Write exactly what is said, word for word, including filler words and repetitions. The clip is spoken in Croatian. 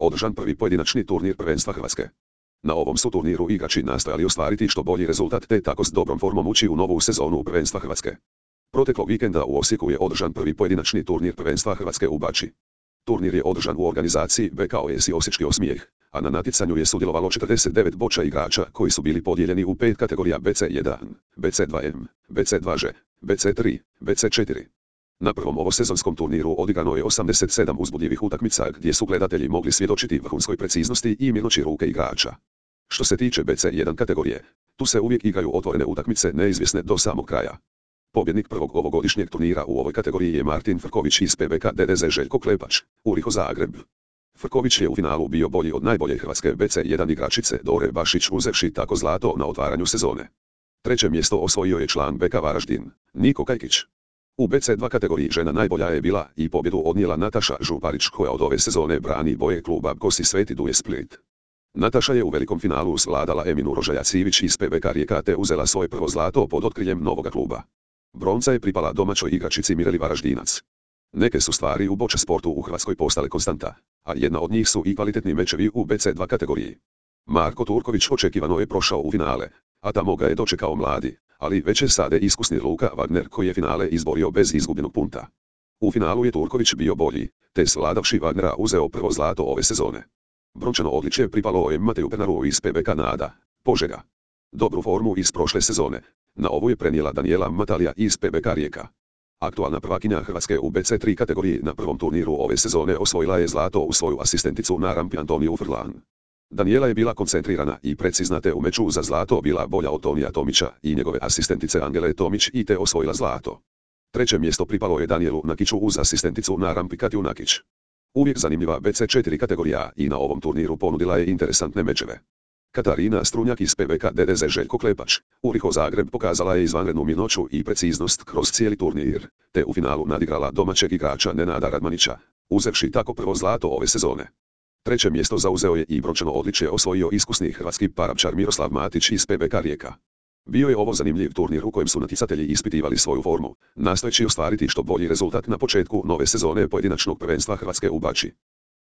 održan prvi pojedinačni turnir prvenstva Hrvatske. Na ovom su turniru igrači nastojali ostvariti što bolji rezultat te tako s dobrom formom ući u novu sezonu prvenstva Hrvatske. Proteklog vikenda u Osijeku je održan prvi pojedinačni turnir prvenstva Hrvatske u Bački. Turnir je održan u organizaciji B K O S i Osječki Osmijeh, a na natjecanju je sudjelovalo četrdeset devet boča igrača koji su bili podijeljeni u pet kategorija B C jedan, B C dva M, B C dva Ž, B C tri, B C četiri. Na prvom ovosezonskom turniru odigrano je osamdeset sedam uzbudljivih utakmica gdje su gledatelji mogli svjedočiti vrhunskoj preciznosti i mirnoći ruke igrača. Što se tiče B C jedan kategorije, tu se uvijek igraju otvorene utakmice neizvjesne do samog kraja. Pobjednik prvog ovogodišnjeg turnira u ovoj kategoriji je Martin Frković iz P B K D D Z Željko Klepač, Uriho Zagreb. Frković je u finalu bio bolji od najbolje hrvatske B C jedan igračice Dore Bašić uzevši tako zlato na otvaranju sezone. Treće mjesto osvojio je član B K Varaždin, Niko Kajkić. U B C dva kategoriji žena najbolja je bila i pobjedu odnijela Nataša Župarić koja od ove sezone brani boje kluba Kosi Sveti Duje Split. Nataša je u velikom finalu svladala Eminu Rožajac-Ivić iz P B K Rijeka te uzela svoje prvo zlato pod otkriljem novoga kluba. Bronca je pripala domaćoj igračici Mireli Varaždinac. Neke su stvari u boč sportu u Hrvatskoj postale konstanta, a jedna od njih su i kvalitetni mečevi u B C dva kategoriji. Marko Turković očekivano je prošao u finale, a tamo ga je dočekao mladi, ali već je sada iskusni Luka Wagner koji je finale izborio bez izgubljenog punta. U finalu je Turković bio bolji, te svladavši Wagnera uzeo prvo zlato ove sezone. Brončano odličje pripalo je Mateju Pernaru iz P B K Nada, Požega. Dobru formu iz prošle sezone na ovu je prenijela Daniela Matalija iz P B K Rijeka. Aktualna prvakinja Hrvatske u B C tri kategoriji na prvom turniru ove sezone osvojila je zlato u svoju asistenticu na rampi Antoniju Frlan. Daniela je bila koncentrirana i precizna te u meču za zlato bila bolja od Tonija Tomića i njegove asistentice Angele Tomić i te osvojila zlato. Treće mjesto pripalo je Danielu Nakiću uz asistenticu na rampi Katju Nakić. Uvijek zanimljiva B C četiri kategorija i na ovom turniru ponudila je interesantne mečeve. Katarina Strunjak iz P B K D D Z Željko Klepač, Uriho Zagreb pokazala je izvanrednu mirnoću i preciznost kroz cijeli turnir, te u finalu nadigrala domaćeg igrača Nenada Radmanića, uzevši tako prvo zlato ove sezone. Treće mjesto zauzeo je i brončano odličje osvojio iskusni hrvatski parapčar Miroslav Matić iz P B K Rijeka. Bio je ovo zanimljiv turnir u kojem su natjecatelji ispitivali svoju formu, nastojeći ostvariti što bolji rezultat na početku nove sezone pojedinačnog prvenstva Hrvatske u Bački.